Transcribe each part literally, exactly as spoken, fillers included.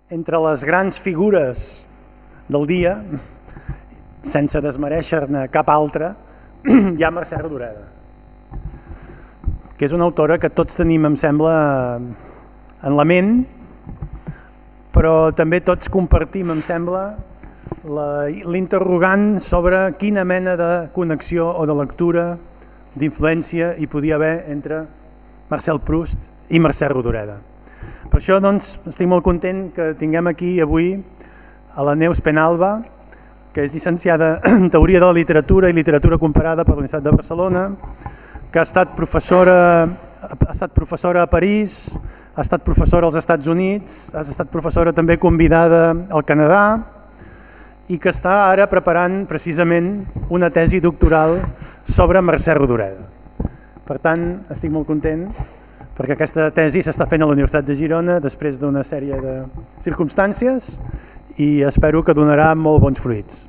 entre les grans figures del dia, sense desmereixer-ne cap altra, hi ha Mercè Rodoreda, que és una autora que tots tenim, em sembla, en la ment, però també tots compartim, em sembla, l'interrogant sobre quina mena de connexió o de lectura, d'influència hi podia haver entre Marcel Proust i Mercè Rodoreda. Per això doncs, estic molt content que tinguem aquí avui a la Neus Penalba, que és llicenciada en Teoria de la Literatura i Literatura Comparada per la Universitat de Barcelona, que ha estat professora, ha estat professora a París, ha estat professora als Estats Units, ha estat professora també convidada al Canadà i que està ara preparant precisament una tesi doctoral sobre Mercè Rodoreda. Per tant, estic molt content perquè aquesta tesi s'està fent a la Universitat de Girona després d'una sèrie de circumstàncies i espero que donarà molt bons fruits.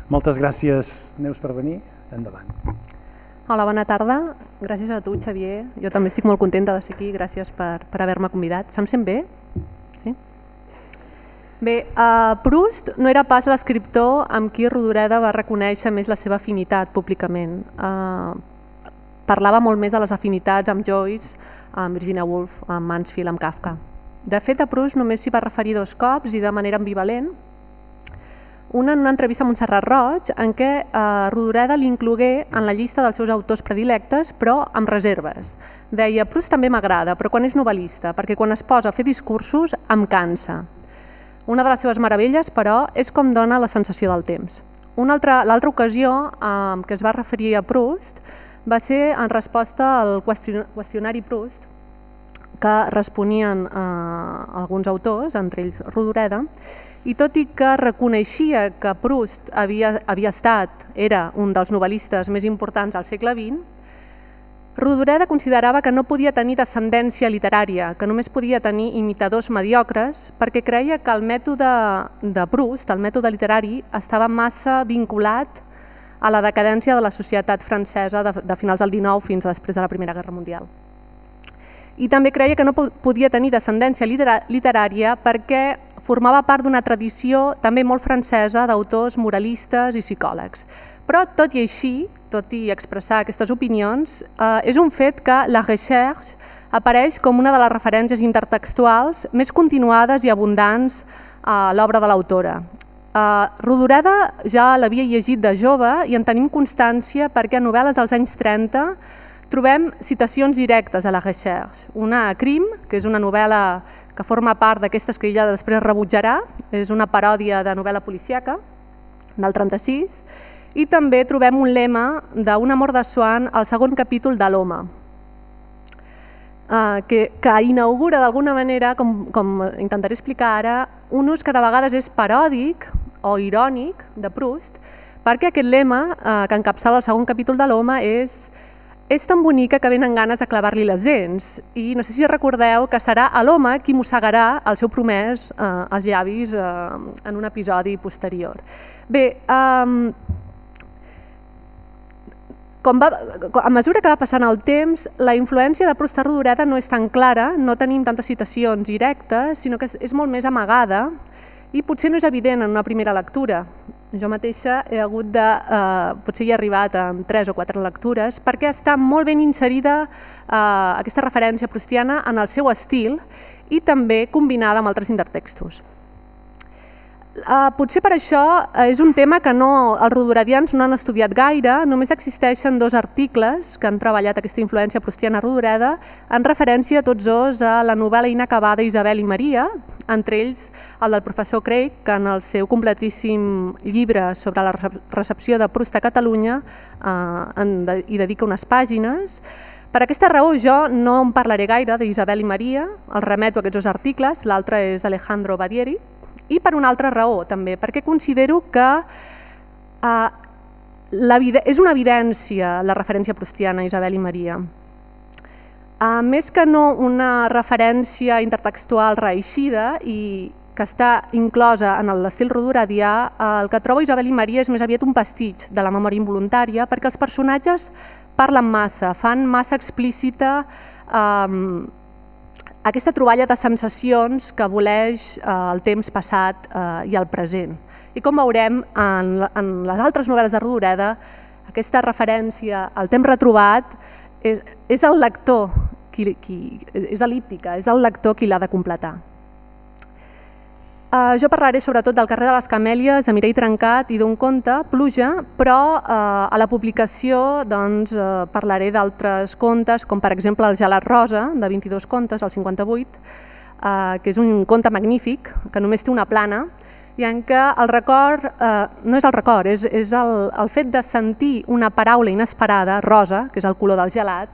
Moltes gràcies, Neus, per venir. Endavant. Hola, bona tarda. Gràcies a tu, Xavier. Jo també estic molt contenta de ser aquí. Gràcies per, per haver-me convidat. Se'm sent bé? Sí? Bé, uh, Proust no era pas l'escriptor amb qui Rodoreda va reconèixer més la seva afinitat públicament. Uh, parlava molt més de les afinitats amb Joyce, amb Virginia Woolf, amb Mansfield, amb Kafka. De fet, a Proust només s'hi va referir dos cops i de manera ambivalent. Una en una entrevista a Montserrat Roig en què eh, Rodoreda l'inclogué en la llista dels seus autors predilectes, però amb reserves. Deia, Proust també m'agrada, però quan és novel·lista, perquè quan es posa a fer discursos em cansa. Una de les seves meravelles, però, és com dona la sensació del temps. L'altra ocasió eh, que es va referir a Proust va ser en resposta al qüestionari Proust, que responien eh, alguns autors, entre ells Rodoreda, i tot i que reconeixia que Proust havia, havia estat, era un dels novel·listes més importants al segle vint, Rodoreda considerava que no podia tenir descendència literària, que només podia tenir imitadors mediocres, perquè creia que el mètode de Proust, el mètode literari, estava massa vinculat a la decadència de la societat francesa de, de finals del dinou fins a després de la Primera Guerra Mundial. I també creia que no podia tenir descendència literària perquè formava part d'una tradició també molt francesa d'autors moralistes i psicòlegs. Però tot i així, tot i expressar aquestes opinions, eh, és un fet que la recherche apareix com una de les referències intertextuals més continuades i abundants a l'obra de l'autora. Eh, Rodoreda ja l'havia llegit de jove i en tenim constància perquè a novel·les dels anys trenta trobem citacions directes a la recherche. Una a Crim, que és una novel·la que forma part d'aquestes que ella després rebutjarà, és una paròdia de novel·la policíaca del trenta-sis, i també trobem un lema d'un amor de Swann al segon capítol de l'Home, que, que inaugura d'alguna manera, com, com intentaré explicar ara, un ús que de vegades és paròdic o irònic de Proust, perquè aquest lema eh, que encapçala el segon capítol de l'Home és és tan bonica que venen ganes de clavar-li les dents i no sé si recordeu que serà l'home qui mossegarà el seu promès eh, als llavis eh, en un episodi posterior. Bé, eh, com va, a mesura que va passant el temps, la influència de Proust a Rodoreda no és tan clara, no tenim tantes citacions directes, sinó que és, és molt més amagada i potser no és evident en una primera lectura. Jo mateixa he hagut de, eh, potser hi he arribat en tres o quatre lectures, perquè està molt ben inserida eh, aquesta referència proustiana en el seu estil i també combinada amb altres intertextos. Uh, potser per això uh, és un tema que no, els rodoredians no han estudiat gaire, només existeixen dos articles que han treballat aquesta influència proustiana a Rodoreda en referència tots dos a la novel·la inacabada Isabel i Maria, entre ells el del professor Craig, que en el seu completíssim llibre sobre la recepció de Proust a Catalunya uh, en de, hi dedica unes pàgines. Per aquesta raó jo no en parlaré gaire d'Isabel i Maria, els remeto a aquests dos articles, l'altre és Alejandro Badieri, i per una altra raó també, perquè considero que eh, la, és una evidència la referència proustiana a Isabel i Maria. Eh, més que no una referència intertextual reeixida i que està inclosa en l'estil rodoredià, eh, el que trobo Isabel i Maria és més aviat un pastitx de la memòria involuntària perquè els personatges parlen massa, fan massa explícita eh, aquesta troballa de sensacions que voleix el temps passat i el present. I com veurem en les altres novel·les de Rodoreda, aquesta referència al temps retrobat és el lector, és el·líptica, és el lector qui l'ha de completar. Jo parlaré sobretot del carrer de les Camèlies, a Mireia Trencat i d'un conte, Pluja, però a la publicació parlaré d'altres contes, com per exemple El gelat rosa, de vint-i-dos contes, al cinquanta-vuit, que és un conte magnífic, que només té una plana, i en què el record, no és el record, és el fet de sentir una paraula inesperada, rosa, que és el color del gelat,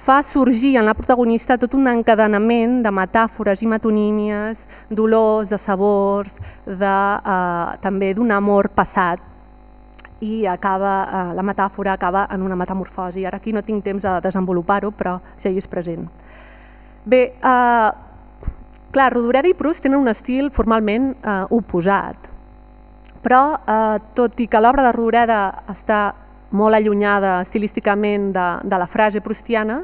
fa sorgir en la protagonista tot un encadenament de metàfores i metonímies, d'olors, de sabors, també d'un amor passat, i la metàfora acaba en una metamorfosi. Ara aquí no tinc temps de desenvolupar-ho, però ja hi és present. Bé, clar, Rodoreda i Proust tenen un estil formalment oposat, però tot i que l'obra de Rodoreda està molt allunyada estilísticament de la frase proustiana,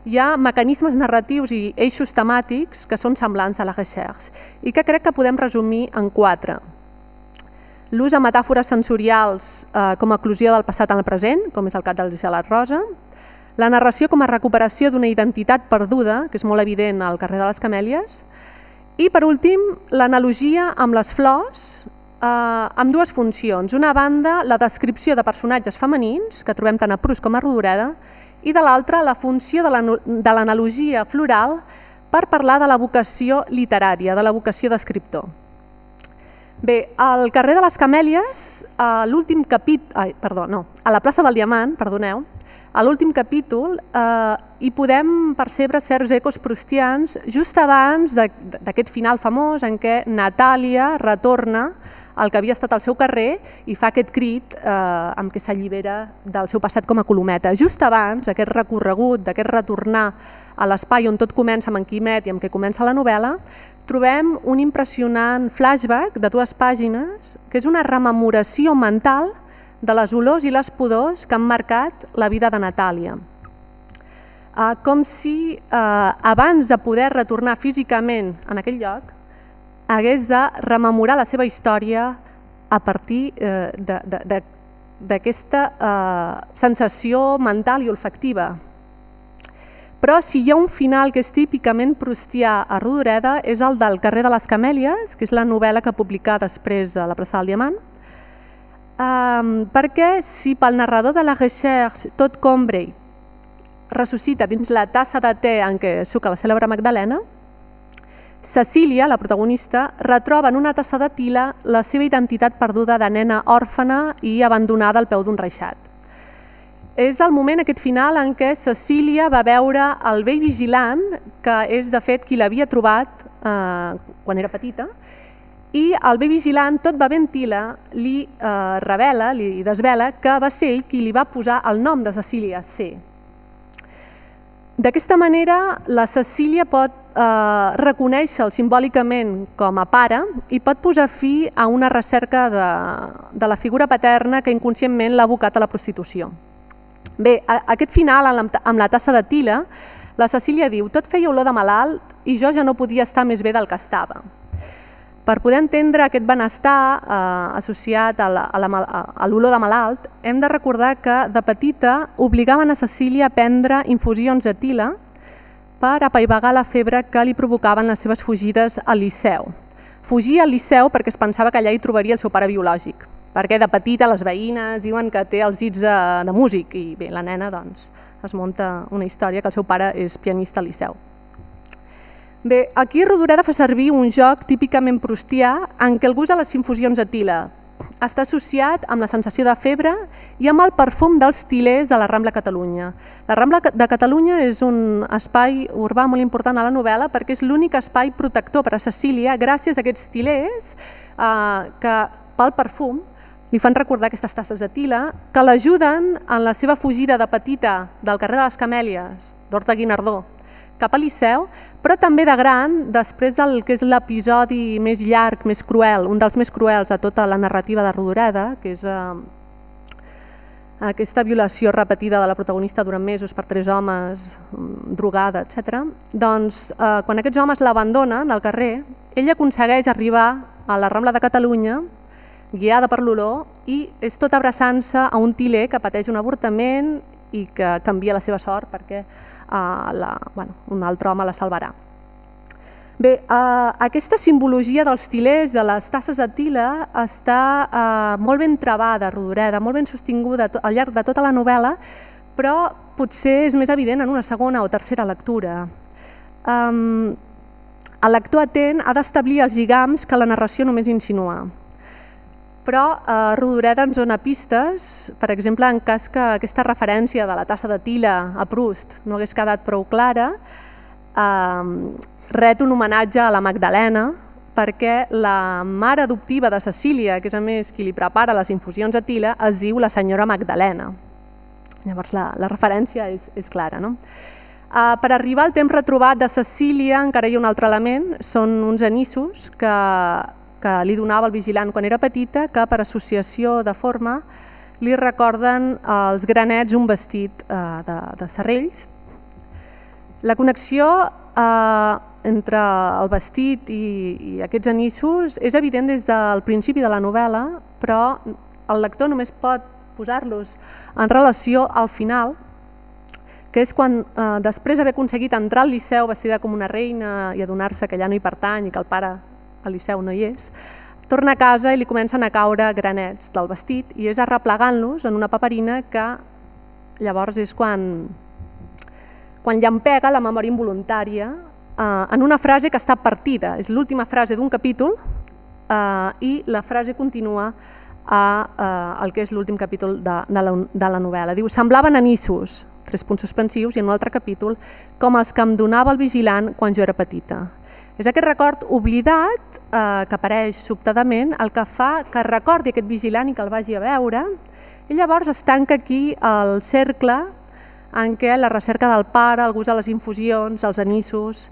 hi ha mecanismes narratius i eixos temàtics que són semblants a la Recherche i que crec que podem resumir en quatre. L'ús de metàfores sensorials com a eclosió del passat en el present, com és el cas del gelat rosa, la narració com a recuperació d'una identitat perduda, que és molt evident al carrer de les Camèlies, i per últim l'analogia amb les flors, amb dues funcions. Una banda, la descripció de personatges femenins, que trobem tant a Proust com a Rodoreda, i de l'altra, la funció de l'analogia floral per parlar de la vocació literària, de la vocació d'escriptor. Bé, al carrer de les Camèlies, a l'últim capítol, perdó, no, a la plaça del Diamant, perdoneu, a l'últim capítol hi podem percebre certs ecos proustians just abans d'aquest final famós en què Natàlia retorna al que havia estat el seu carrer i fa aquest crit amb què s'allibera del seu passat com a colometa. Just abans, aquest recorregut, d'aquest retornar a l'espai on tot comença amb en Quimet i amb què comença la novel·la, trobem un impressionant flashback de dues pàgines que és una rememoració mental de les olors i les pudors que han marcat la vida de Natàlia. Com si abans de poder retornar físicament en aquell lloc hagués de rememorar la seva història a partir d'aquesta sensació mental i olfactiva. Però si hi ha un final que és típicament proustià a Rodoreda és el del carrer de les Camèlies, que és la novel·la que publicà després a la plaça del Diamant, perquè si pel narrador de la Recherche tot Combray ressuscita dins la tassa de te en què suca la cèlebre Magdalena, Cecília, la protagonista, retroba en una tassa de tila la seva identitat perduda de nena òrfana i abandonada al peu d'un reixat. És el moment, aquest final, en què Cecília va veure el vell vigilant, que és de fet qui l'havia trobat quan era petita, i el vell vigilant, tot bevent tila, li revela, li desvela que va ser ell qui li va posar el nom de Cecília, C. D'aquesta manera, la Cecília pot reconèixer-el simbòlicament com a pare i pot posar fi a una recerca de la figura paterna que inconscientment l'ha abocat a la prostitució. Bé, aquest final, amb la tassa de tila, la Cecília diu: tot feia olor de malalt i jo ja no podia estar més bé del que estava. Per poder entendre aquest benestar associat a l'olor de malalt, hem de recordar que de petita obligaven a Cecília a prendre infusions de tila per apaivagar la febre que li provocaven les seves fugides al Liceu. Fugia al Liceu perquè es pensava que allà hi trobaria el seu pare biològic, perquè de petita les veïnes diuen que té els dits de músic i bé, la nena doncs es munta una història que el seu pare és pianista al Liceu. Bé, aquí Rodoreda fa servir un joc típicament proustià en què el gust de les infusions de tila està associat amb la sensació de febre i amb el perfum dels tilers de la Rambla Catalunya. La Rambla de Catalunya és un espai urbà molt important a la novel·la perquè és l'únic espai protector per a Cecília gràcies a aquests tilers que pel perfum li fan recordar aquestes tasses de tila que l'ajuden en la seva fugida de petita del carrer de les Camèlies, d'Horta Guinardó, cap a Liceu, però també de gran, després del que és l'episodi més llarg, més cruel, un dels més cruels a tota la narrativa de Rodoreda, que és aquesta violació repetida de la protagonista durant mesos per tres homes, drogada, etcètera, doncs eh, quan aquests homes l'abandonen al carrer, ella aconsegueix arribar a la Rambla de Catalunya, guiada per l'olor, i és tot abraçant-se a un tiler que pateix un avortament i que canvia la seva sort perquè eh, la, bueno, un altre home la salvarà. Bé, eh, aquesta simbologia dels tilers, de les tasses de tila, està eh, molt ben trebada, Rodoreda, molt ben sostinguda al llarg de tota la novel·la, però potser és més evident en una segona o tercera lectura. Um, el lector atent ha d'establir els lligams que la narració només insinua. Però eh, Rodoreda ens dona pistes, per exemple, en cas que aquesta referència de la tassa de tila a Proust no hagués quedat prou clara, eh, ret un homenatge a la Magdalena, perquè la mare adoptiva de Cecília, que és a més qui li prepara les infusions de tila, es diu la senyora Magdalena. Llavors la, la referència és, és clara, no? Uh, per arribar al temps retrobat de Cecília encara hi ha un altre element, són uns anissos que, que li donava el vigilant quan era petita, que per associació de forma li recorden als granets un vestit uh, de, de serrells. La connexió eh, entre el vestit i, i aquests anissos és evident des del principi de la novel·la, però el lector només pot posar-los en relació al final, que és quan, eh, després d'haver aconseguit entrar al Liceu vestida com una reina i adonar-se que allà no hi pertany i que el pare al Liceu no hi és, torna a casa i li comencen a caure granets del vestit i és arreplegant-los en una paperina que llavors és quan... quan llampega la memòria involuntària eh, en una frase que està partida. És l'última frase d'un capítol eh, i la frase continua a eh, el que és l'últim capítol de, de, la, de la novel·la. Diu, semblaven anissos, tres punts suspensius, i en un altre capítol, com els que em donava el vigilant quan jo era petita. És aquest record oblidat eh, que apareix sobtadament el que fa que recordi aquest vigilant i que el vagi a veure, i llavors es tanca aquí el cercle en què la recerca del pare, el gust de les infusions, els anissos,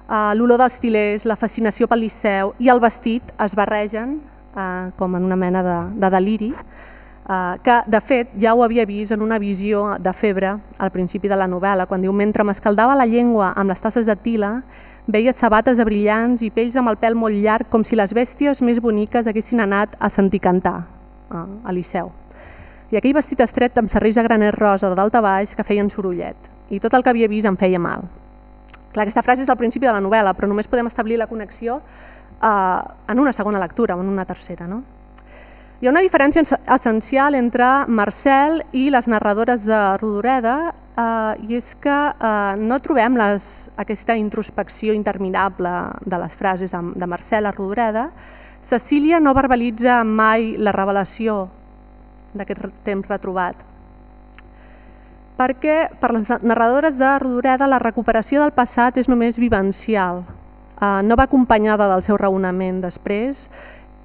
eh, l'olor dels tilers, la fascinació pel Liceu i el vestit es barregen eh, com en una mena de, de deliri, eh, que de fet ja ho havia vist en una visió de febre al principi de la novel·la, quan diu, mentre m'escaldava la llengua amb les tasses de tila, veia sabates de brillants i pells amb el pèl molt llarg com si les bèsties més boniques haguessin anat a sentir cantar eh, a Liceu. I aquell vestit estret amb serrells de granet rosa de dalt a baix que feien sorollet. I tot el que havia vist em feia mal. Clar, aquesta frase és al principi de la novel·la, però només podem establir la connexió eh, en una segona lectura o en una tercera. No? Hi ha una diferència essencial entre Marcel i les narradores de Rodoreda, eh, i és que eh, no trobem les, aquesta introspecció interminable de les frases de Marcel a Rodoreda. Cecília no verbalitza mai la revelació d'aquest temps retrobat. Perquè per les narradores de Rodoreda la recuperació del passat és només vivencial, eh, no va acompanyada del seu raonament després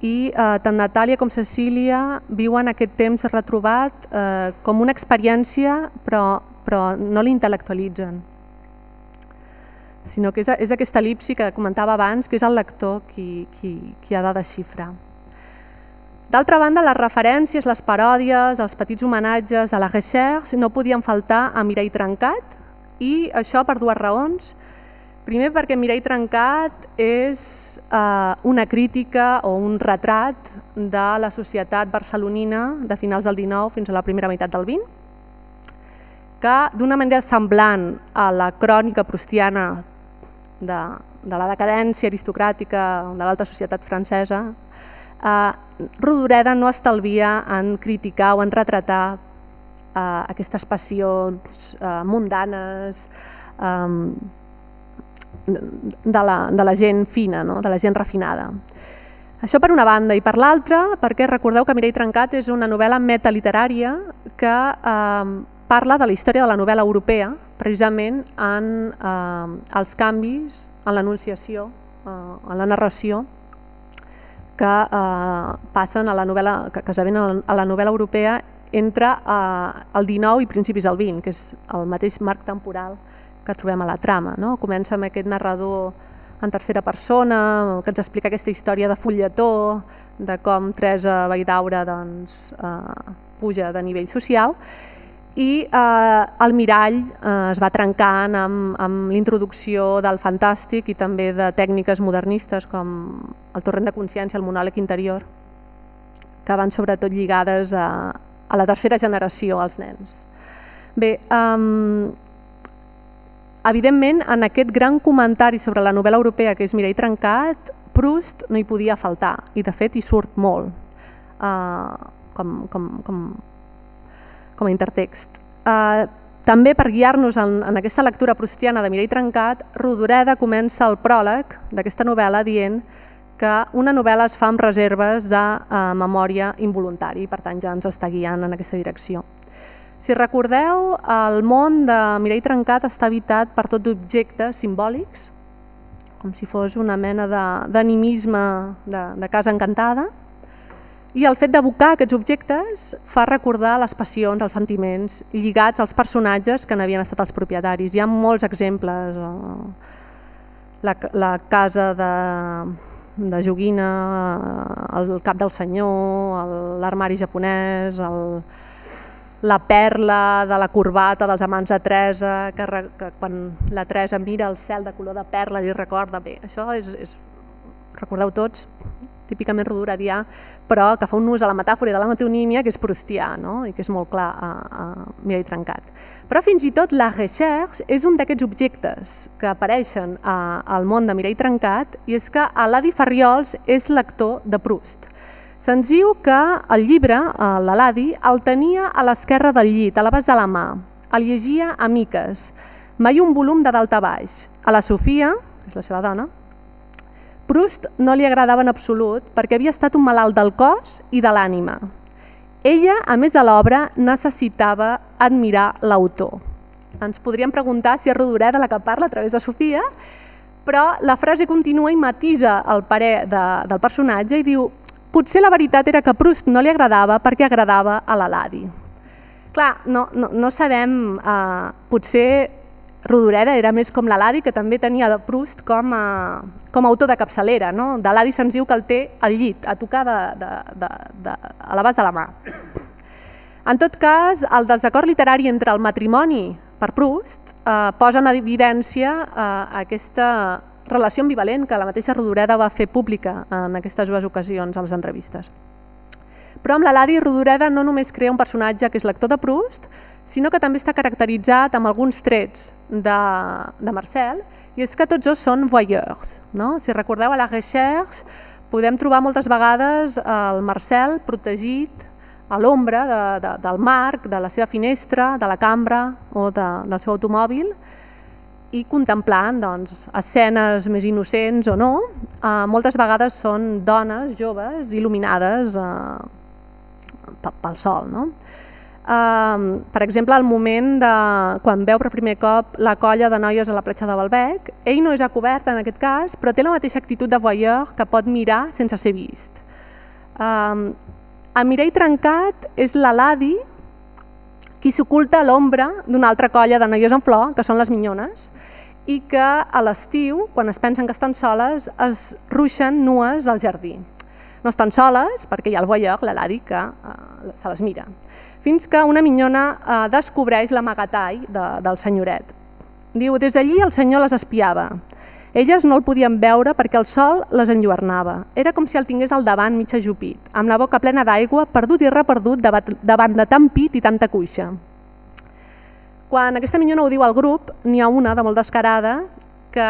i eh, tant Natàlia com Cecília viuen aquest temps retrobat eh, com una experiència però, però no l'intel·lectualitzen, sinó que és, és aquesta elipsi que comentava abans, que és el lector qui, qui, qui ha de desxifrar. D'altra banda, les referències, les paròdies, els petits homenatges a la recherche no podien faltar a Mireia Trencat, i això per dues raons. Primer, perquè Mireia Trencat és eh, una crítica o un retrat de la societat barcelonina de finals del dinou fins a la primera meitat del vint, que d'una manera semblant a la crònica proustiana de, de la decadència aristocràtica de l'alta societat francesa, eh, Rodoreda no estalvia en criticar o en retratar eh, aquestes passions eh, mundanes eh, de, la, de la gent fina, no? De la gent refinada. Això per una banda, i per l'altra, perquè recordeu que Mireia Trencat és una novel·la metaliterària que eh, parla de la història de la novel·la europea, precisament en eh, els canvis, en l'enunciació, eh, en la narració, que eh, passen a la novel·la, que, que esdevenen a la novel·la europea entre eh, el dinou i principis del vint, que és el mateix marc temporal que trobem a la trama. No? Comença amb aquest narrador en tercera persona, que ens explica aquesta història de fulletó, de com Teresa Valldaura doncs, eh, puja de nivell social, i eh, el mirall eh, es va trencant amb, amb l'introducció del fantàstic i també de tècniques modernistes com el torrent de consciència, el monòleg interior, que van sobretot lligades a, a la tercera generació, als nens. Bé, um, evidentment, en aquest gran comentari sobre la novel·la europea que és Mirall trencat, Proust no hi podia faltar, i de fet hi surt molt uh, com, com, com, com a intertext. Uh, també per guiar-nos en, en aquesta lectura proustiana de Mirall trencat, Rodoreda comença el pròleg d'aquesta novel·la dient que una novel·la es fa amb reserves de uh, memòria involuntari, per tant ja ens està guiant en aquesta direcció. Si recordeu, el món de Mirall trencat està habitat per tot d'objectes simbòlics, com si fos una mena d'animisme de, de, de casa encantada, i el fet d'evocar aquests objectes fa recordar les passions, els sentiments lligats als personatges que n'havien estat els propietaris. Hi ha molts exemples, la, la casa de, de joguina, el cap del senyor, l'armari japonès, el, la perla de la corbata dels amants de Teresa, que, que quan la Teresa mira el cel de color de perla li recorda. Bé, això és, és recordeu tots, típicament rodoredià, però que fa un ús a la metàfora de la metonímia que és proustià, no? I que és molt clar a, a Mirall trencat. Però fins i tot la recherche és un d'aquests objectes que apareixen a, al món de Mirall trencat, i és que l'Adi Farriols és lector de Proust. Se'ns diu que el llibre, l'Adi, el tenia a l'esquerra del llit, a l'abast de la mà, el llegia a miques, mai un volum de dalt a baix. A la Sofia, que és la seva dona, Proust no li agradava en absolut perquè havia estat un malalt del cos i de l'ànima. Ella, a més de l'obra, necessitava admirar l'autor. Ens podríem preguntar si és Rodoreda la que parla a través de Sofia, però la frase continua i matisa el parer de, del personatge i diu: potser la veritat era que Proust no li agradava perquè agradava a l'Adi. Clar, no, no, no sabem, eh, potser Rodoreda era més com l'Adi, que també tenia Proust com a, com a autor de capçalera. No? De l'Adi se'ns diu que el té al llit, a tocar de, de, de, de, a l'abast de la mà. En tot cas, el desacord literari entre el matrimoni per Proust eh, posa en evidència eh, aquesta relació ambivalent que la mateixa Rodoreda va fer pública en aquestes dues ocasions a les entrevistes. Però amb l'Adi, Rodoreda no només crea un personatge que és lector de Proust, sinó que també està caracteritzat amb alguns trets de, de Marcel, i és que tots dos són voyeurs. No? Si recordeu, a la recherche podem trobar moltes vegades el Marcel protegit a l'ombra de, de, del marc, de la seva finestra, de la cambra o de, del seu automòbil, i contemplant doncs, escenes més innocents o no, eh, moltes vegades són dones joves il·luminades eh, pel sol. No? Uh, per exemple, al moment de quan veu per primer cop la colla de noies a la platja de Balbec, ell no és a cobert en aquest cas, però té la mateixa actitud de voyeur que pot mirar sense ser vist. Uh, a Mirall trencat és l'Adi qui s'oculta a l'ombra d'una altra colla de noies en flor, que són les minyones, i que a l'estiu, quan es pensen que estan soles, es ruixen nues al jardí. No estan soles perquè hi ha el voyeur, l'Adi, que uh, se les mira. Fins que una minyona eh, descobreix l'amagatall de, del senyoret. Diu, des d'allí el senyor les espiava. Elles no el podien veure perquè el sol les enlluernava. Era com si el tingués al davant mig ajupit, amb la boca plena d'aigua, perdut i reperdut davant de tant pit i tanta cuixa. Quan aquesta minyona ho diu al grup, n'hi ha una de molt descarada, que,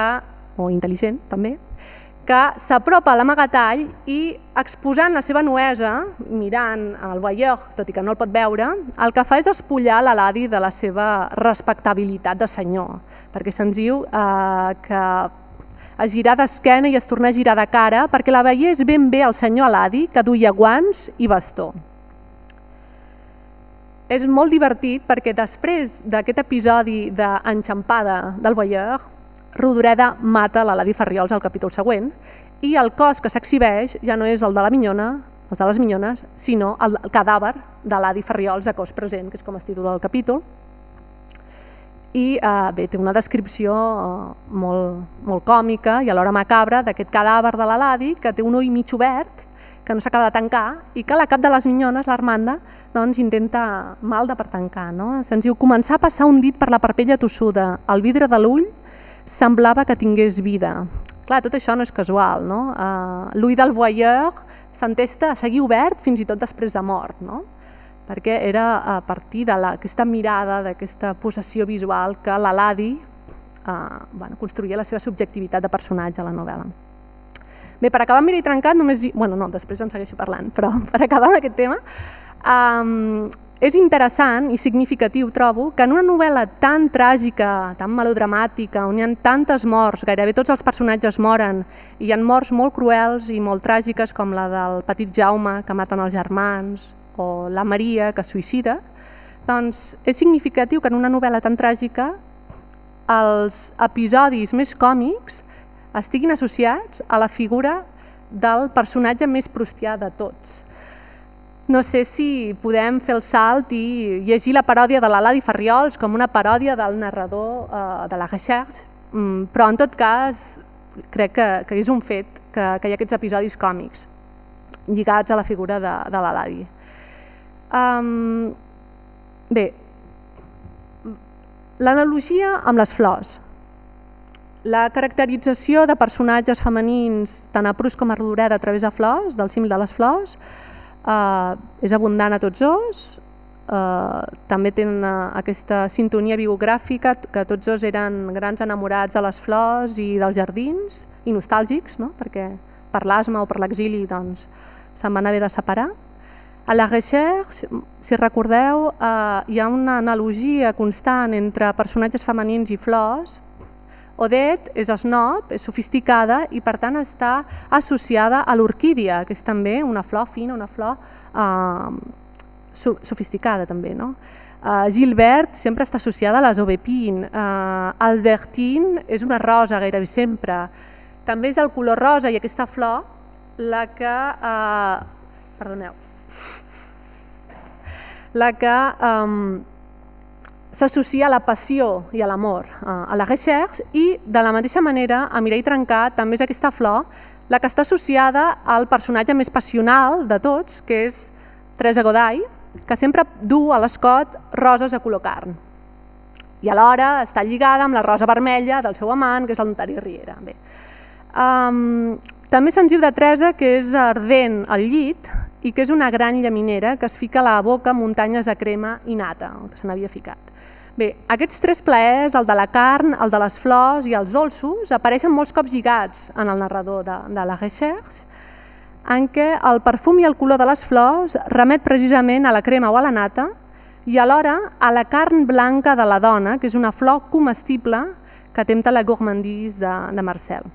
o intel·ligent també, que s'apropa a l'amagatall i, exposant la seva nuesa, mirant el voyeur, tot i que no el pot veure, el que fa és espullar l'Adi de la seva respectabilitat de senyor, perquè se'ns diu eh, que es girà d'esquena i es torna a girar de cara perquè la veiés ben bé el senyor Aladi, que duia guants i bastó. És molt divertit perquè després d'aquest episodi d'enxampada del voyeur, Rodoreda mata l'Adi Farriols al capítol següent i el cos que s'exhibeix ja no és el de la minyona, el de les minyones, sinó el cadàver de l'Adi Farriols a cos present, que és com es titula el capítol. I eh, bé, té una descripció eh, molt, molt còmica i alhora macabra d'aquest cadàver de l'Aladi, que té un ull mig obert, que no s'acaba de tancar i que la cap de les minyones, l'Armanda, doncs intenta malda per tancar. No? Se'ns diu, començar a passar un dit per la parpella tossuda, el vidre de l'ull semblava que tingués vida. Clar, tot això no és casual. No? Uh, L'ull del voyeur s'entesta a seguir obert fins i tot després de mort, no? Perquè era a partir d'aquesta mirada, d'aquesta possessió visual que l'Aladi eh, bueno, construïa la seva subjectivitat de personatge a la novel·la. Bé, per acabar amb Mireia Trencat, només... Bueno, no, després en segueixo parlant, però per acabar amb aquest tema, eh, és interessant i significatiu, trobo, que en una novel·la tan tràgica, tan melodramàtica, on hi ha tantes morts, gairebé tots els personatges moren, i hi ha morts molt cruels i molt tràgiques, com la del petit Jaume, que maten els germans, o la Maria, que es suïcida, doncs és significatiu que en una novel·la tan tràgica els episodis més còmics estiguin associats a la figura del personatge més proustià de tots. No sé si podem fer el salt i llegir la paròdia de l'Aladi Farriols com una paròdia del narrador eh, de la Recherche, però en tot cas crec que, que és un fet que, que hi ha aquests episodis còmics lligats a la figura de, de l'Aladi. Um, bé, l'analogia amb les flors. La caracterització de personatges femenins tant a Proust com a Rodoreda a través de flors, del símil de les flors, uh, és abundant a tots dos. Uh, també tenen uh, aquesta sintonia biogràfica, que tots dos eren grans enamorats de les flors i dels jardins, i nostàlgics, no? Perquè per l'asma o per l'exili doncs, se'n van haver de separar. A la Recherche, si recordeu, eh, hi ha una analogia constant entre personatges femenins i flors. Odette és snob, és sofisticada i per tant està associada a l'orquídia, que és també una flor fina, una flor eh, sofisticada també. No? Eh, Gilbert sempre està associada a les aubépines, eh, Albertine és una rosa gairebé sempre. També és el color rosa i aquesta flor la que... Eh, perdoneu. la que um, s'associa a la passió i a l'amor, uh, a la Recherche, i de la mateixa manera a Mireia Trencat també és aquesta flor la que està associada al personatge més passional de tots, que és Teresa Goday, que sempre du a l'escot roses a color carn. I alhora està lligada amb la rosa vermella del seu amant, que és el notari Riera. Bé. Um, també se'ns diu de Teresa que és ardent al llit, i que és una gran llaminera que es fica a la boca muntanyes de crema i nata, que se n'havia ficat. Bé, aquests tres plaers, el de la carn, el de les flors i els dolços, apareixen molts cops lligats en el narrador de, de la Recherche, en què el perfum i el color de les flors remet precisament a la crema o a la nata i alhora a la carn blanca de la dona, que és una flor comestible que tempta la gourmandise de, de Marcel.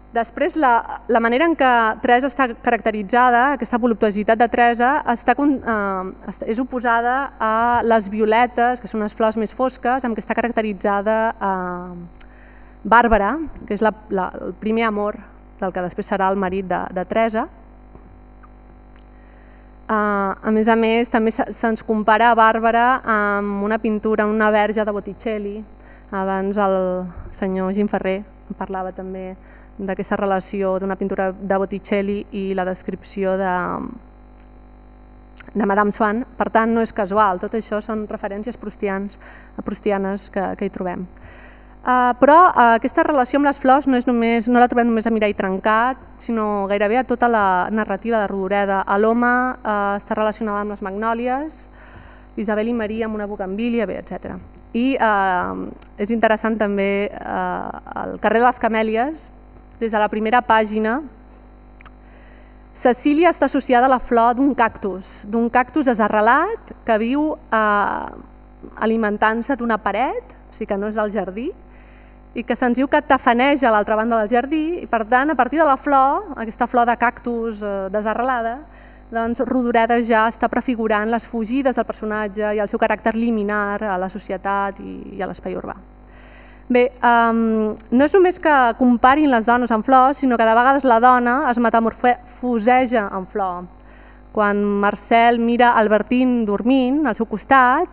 Després, la, la manera en què Teresa està caracteritzada, aquesta voluptuositat de Teresa, està, eh, és oposada a les violetes, que són unes flors més fosques, amb què està caracteritzada eh, Bàrbara, que és la, la, el primer amor del que després serà el marit de, de Teresa. Eh, a més a més, també se'ns compara a Bàrbara amb una pintura, una verge de Botticelli. Abans el senyor Gim Ferrer parlava també d'aquesta relació d'una pintura de Botticelli i la descripció de, de Madame Swann. Per tant, no és casual, tot això són referències proustianes, proustianes que, que hi trobem. Uh, però uh, aquesta relació amb les flors no, és només, no la trobem només a Mireia Trencat, sinó gairebé a tota la narrativa de Rodoreda. A l'home uh, està relacionada amb les magnòlies, Isabel i Maria amb una bugambilia, bé, etcètera. I uh, és interessant també uh, el carrer de les Camèlies. Des de la primera pàgina, Cecília està associada a la flor d'un cactus, d'un cactus desarrelat que viu eh, alimentant-se d'una paret, o sigui que no és del jardí, i que se'ns diu que tafaneja a l'altra banda del jardí, i per tant, a partir de la flor, aquesta flor de cactus eh, desarrelada, doncs Rodoreda ja està prefigurant les fugides del personatge i el seu caràcter liminar a la societat i, i a l'espai urbà. Bé, um, no és només que comparin les dones amb flors, sinó que de vegades la dona es metamorfoseja en flor. Quan Marcel mira Albertine dormint al seu costat,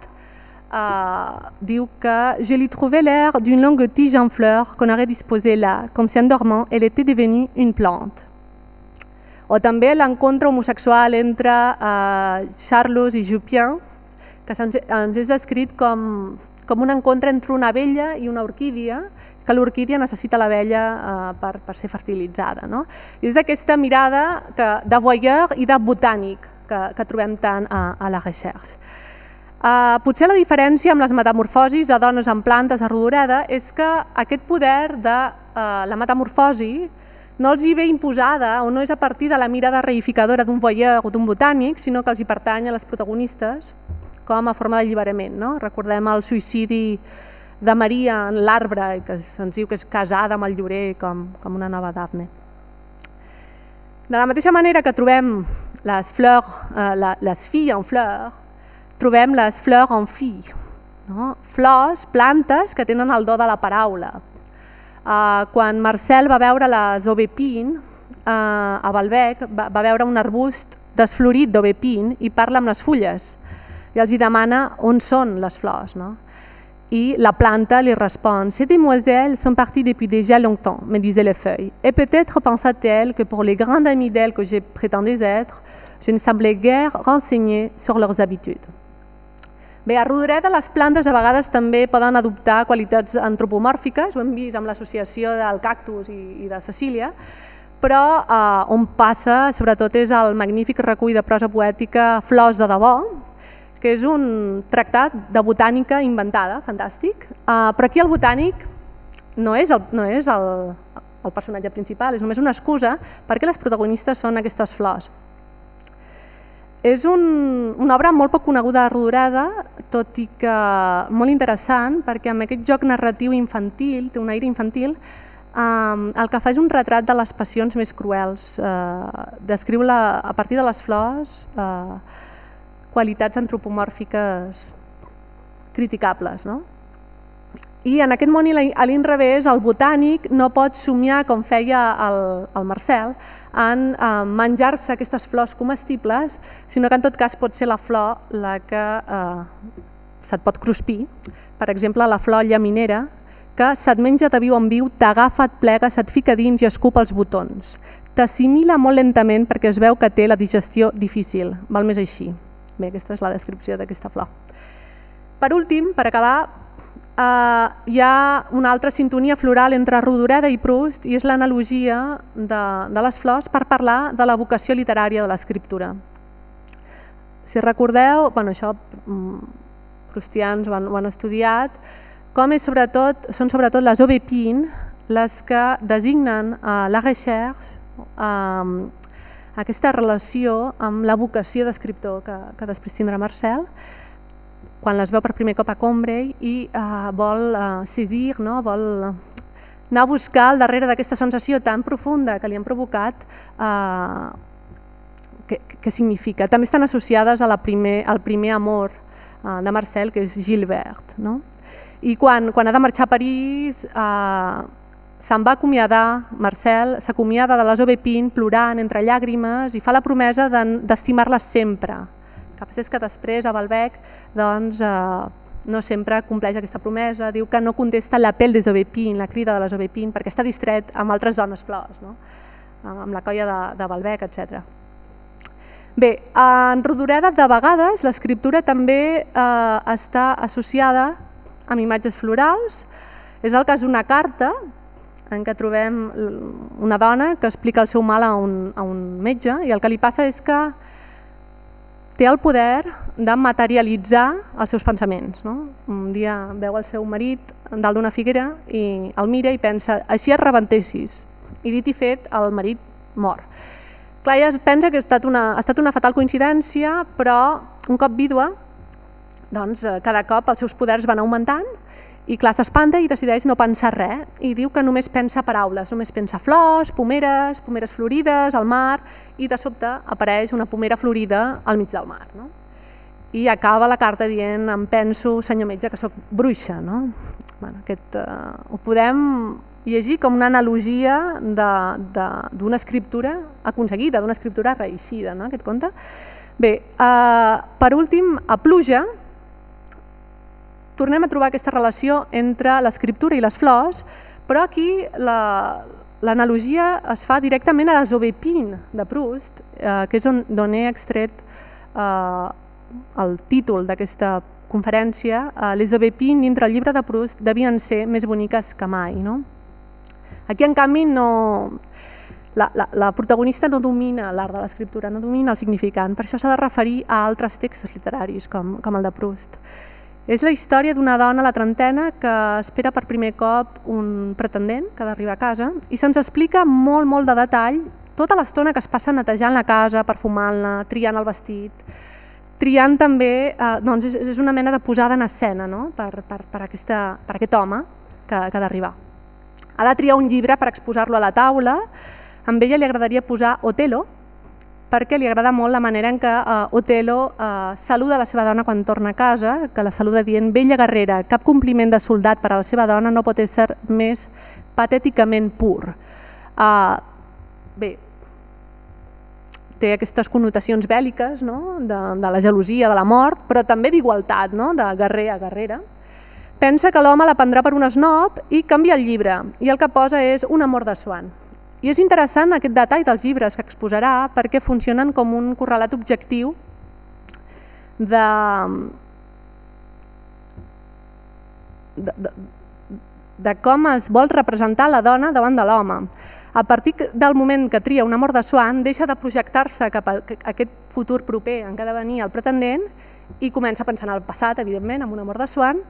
uh, diu que «Je lui trouvais l'air d'une longue tige en fleurs qu'on aurait disposée là, comme si en dormant elle était devenue une plante». O també l'encontre homosexual entre eh, Charlus i Jupien, que ens és descrit com, com un encontre entre una abella i una orquídia, que l'orquídia necessita l'abella eh, per, per ser fertilitzada. No? I és aquesta mirada que, de voyeur i de botànic que, que trobem tant a, a la recherche. Uh, potser la diferència amb les metamorfosis a dones en plantes de Rodoreda és que aquest poder de uh, la metamorfosi no els hi ve imposada o no és a partir de la mirada reificadora d'un voyeur o d'un botànic, sinó que els hi pertany a les protagonistes com a forma d'alliberament. No? Recordem el suïcidi de Maria en l'arbre, que se'ns diu que és casada amb el llorer com, com una nova Dafne. De la mateixa manera que trobem les, fleurs, eh, la, les filles en fleurs, trobem les fleurs en filles, no? Flors, plantes que tenen el do de la paraula. Uh, quan Marcel va veure les aubépines uh, a Balbec, va, va veure un arbust desflorit d'aubépines i parla amb les fulles i els hi demana on són les flors. No? I la planta li respon: Ces demoiselles sont parties depuis déjà longtemps, me disaient les feuilles. Et peut-être pensa-t-elle que pour les grandes amies d'elles que je prétendais être, je ne semblais guère renseignée sur leurs habitudes. Bé, a Rodoreda les plantes a vegades també poden adoptar qualitats antropomòrfiques, ho hem vist amb l'associació del cactus i, i de Cecília, però eh, on passa sobretot és el magnífic recull de prosa poètica Flors de debò, que és un tractat de botànica inventada, fantàstic, eh, però aquí el botànic no és, el, no és el, el personatge principal, és només una excusa perquè les protagonistes són aquestes flors. És un, una obra molt poc coneguda de Rodoreda, tot i que molt interessant, perquè amb aquest joc narratiu infantil, té un aire infantil, eh, el que fa és un retrat de les passions més cruels, eh, descriu la, a partir de les flors eh, qualitats antropomòrfiques criticables. No? I en aquest món a l'inrevés, el botànic no pot somiar, com feia el, el Marcel, en eh, menjar-se aquestes flors comestibles, sinó que en tot cas pot ser la flor la que eh, se't pot cruspir. Per exemple, la flor llaminera, que se't menja de viu en viu, t'agafa, et plega, se't fica dins i escupa els botons. T'assimila molt lentament perquè es veu que té la digestió difícil, val més així. Bé, aquesta és la descripció d'aquesta flor. Per últim, per acabar, Uh, hi ha una altra sintonia floral entre Rodoreda i Proust i és l'analogia de, de les flors per parlar de la vocació literària de l'escriptura. Si recordeu, bueno, això proustians ho han, ho han estudiat, com és sobretot, són sobretot les aubépines les que designen uh, la recherche, uh, aquesta relació amb la vocació d'escriptor que, que després tindrà Marcel, quan les veu per primer cop a Combray i uh, vol uh, saisir, no? Vol anar a buscar al darrere d'aquesta sensació tan profunda que li han provocat, uh, què, què significa. També estan associades a la primer, al primer amor uh, de Marcel, que és Gilbert. No? I quan, quan ha de marxar a París, uh, se'n va acomiadar, Marcel s'acomiada de les aubépines plorant entre llàgrimes i fa la promesa d'estimar-les sempre. El que passa és que després a Balbec doncs, eh, no sempre compleix aquesta promesa, diu que no contesta l'apel des aubépines, la crida de les aubépines, perquè està distret amb altres dones flors, no? Amb la colla de, de Balbec, etcètera. Bé, en Rodoreda de vegades l'escriptura també eh, està associada amb imatges florals. És el cas d'una carta en què trobem una dona que explica el seu mal a un, a un metge i el que li passa és que té el poder de materialitzar els seus pensaments. No? Un dia veu el seu marit dalt d'una figuera i el mira i pensa, així et rebentessis. I dit i fet, el marit mor. Clar, ella pensa que ha estat una, ha estat una fatal coincidència, però un cop vídua, doncs, cada cop els seus poders van augmentant i clar, s'espanta i decideix no pensar res i diu que només pensa paraules, només pensa flors, pomeres, pomeres florides, al mar, i de sobte apareix una pomera florida al mig del mar. No? I acaba la carta dient, em penso, senyor metge, que sóc bruixa. No? Bueno, aquest, uh, ho podem llegir com una analogia d'una escriptura aconseguida, d'una escriptura reeixida, no? Aquest conte. Bé, uh, per últim, a Pluja, tornem a trobar aquesta relació entre l'escriptura i les flors, però aquí la, l'analogia es fa directament a les Aubépine de Proust, eh, que és on, on he extret eh, el títol d'aquesta conferència. Eh, les Aubépine dintre el llibre de Proust devien ser més boniques que mai. No? Aquí, en canvi, no... La, la, la protagonista no domina l'art de l'escriptura, no domina el significant, per això s'ha de referir a altres textos literaris, com, com el de Proust. És la història d'una dona a la trentena que espera per primer cop un pretendent que ha d'arribar a casa i se'ns explica molt, molt de detall tota l'estona que es passa netejant la casa, perfumant-la, triant el vestit, triant també, eh, doncs és, és una mena de posada en escena, no? per, per, per, aquesta, per aquest home que, que ha d'arribar. Ha de triar un llibre per exposar-lo a la taula. A ella li agradaria posar Otelo, perquè li agrada molt la manera en què uh, Otelo uh, saluda la seva dona quan torna a casa, que la saluda dient: "Bella guerrera, cap compliment de soldat per a la seva dona no pot ser més patèticament pur". Uh, bé, té aquestes connotacions bèl·liques, no? de, de la gelosia, de la mort, però també d'igualtat, no? de guerrer a guerrera. Pensa que l'home la prendrà per un esnob i canvia el llibre, i el que posa és Un amor de Swann. I és interessant aquest detall dels llibres que exposarà perquè funcionen com un correlat objectiu de, de, de, de com es vol representar la dona davant de l'home. A partir del moment que tria Un amor de Swann, deixa de projectar-se cap a aquest futur proper en què ha de venir el pretendent i comença a pensar en el passat, evidentment, amb Un amor de Swann,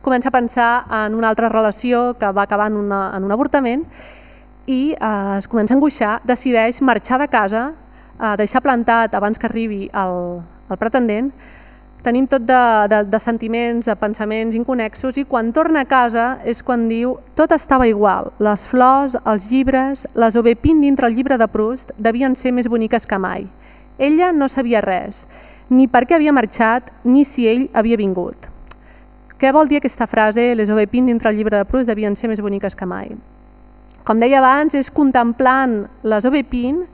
comença a pensar en una altra relació que va acabar en, una, en un avortament i eh, es comença a angoixar, decideix marxar de casa, eh, deixar plantat abans que arribi el, el pretendent, tenint tot de, de, de sentiments, de pensaments inconnexos, i quan torna a casa és quan diu: "Tot estava igual, les flors, els llibres, les Aubépine dintre el llibre de Proust devien ser més boniques que mai. Ella no sabia res, ni per què havia marxat, ni si ell havia vingut". Què vol dir aquesta frase, les Aubépine dintre el llibre de Proust devien ser més boniques que mai? Com deia abans, és contemplant les Aubépine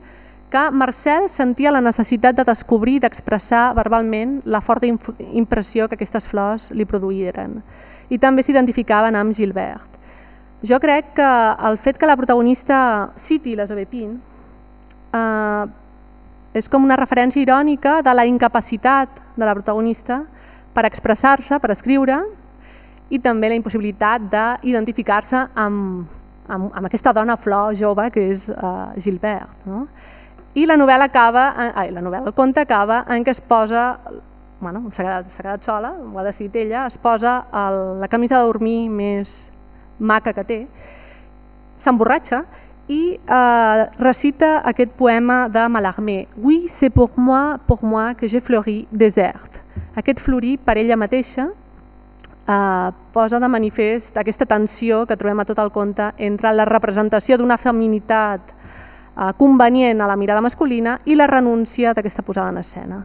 que Marcel sentia la necessitat de descobrir i d'expressar verbalment la forta impressió que aquestes flors li produïren. I també s'identificaven amb Gilbert. Jo crec que el fet que la protagonista citi les Aubépine eh, és com una referència irònica de la incapacitat de la protagonista per expressar-se, per escriure, i també la impossibilitat d'identificar-se amb Amb, amb aquesta dona flor jove que és uh, Gilbert. No? I la novel·la acaba, ai, la novel·la, el conte acaba en què es posa, bueno, s'ha quedat, s'ha quedat sola, ho ha decidit ella, es posa el, la camisa de dormir més maca que té, s'emborratxa i uh, recita aquest poema de Mallarmé: "Oui, c'est pour moi, pour moi que j'ai fleuri désert". Aquest florir per ella mateixa Uh, posa de manifest aquesta tensió que trobem a tot el conte entre la representació d'una feminitat uh, convenient a la mirada masculina i la renúncia d'aquesta posada en escena.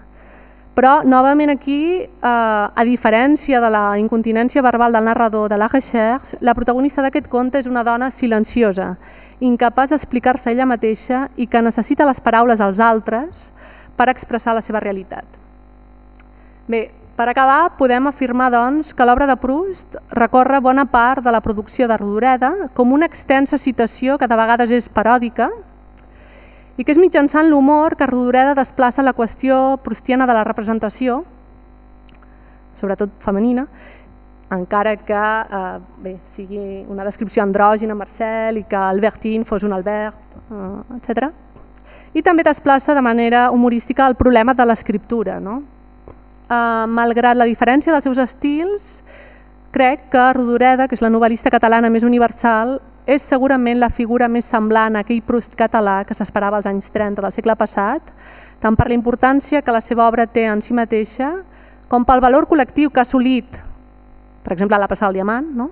Però, novament aquí, uh, a diferència de la incontinència verbal del narrador de La Recherche, la protagonista d'aquest conte és una dona silenciosa, incapaç d'explicar-se ella mateixa i que necessita les paraules dels altres per expressar la seva realitat. Bé, per acabar, podem afirmar doncs, que l'obra de Proust recorre bona part de la producció de Rodoreda com una extensa citació que de vegades és paròdica i que és mitjançant l'humor que Rodoreda desplaça la qüestió proustiana de la representació, sobretot femenina, encara que eh, bé, sigui una descripció andrògina Marcel i que Albertine fos un Albert, eh, etcètera. I també desplaça de manera humorística el problema de l'escriptura, no? Uh, malgrat la diferència dels seus estils, crec que Rodoreda, que és la novel·lista catalana més universal, és segurament la figura més semblant a aquell Proust català que s'esperava als anys trenta del segle passat, tant per la importància que la seva obra té en si mateixa, com pel valor col·lectiu que ha assolit, per exemple, La passada del diamant, no?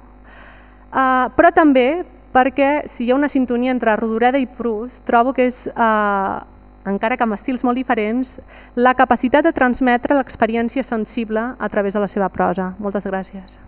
uh, però també perquè si hi ha una sintonia entre Rodoreda i Proust, trobo que és... Uh, encara que amb estils molt diferents, la capacitat de transmetre l'experiència sensible a través de la seva prosa. Moltes gràcies.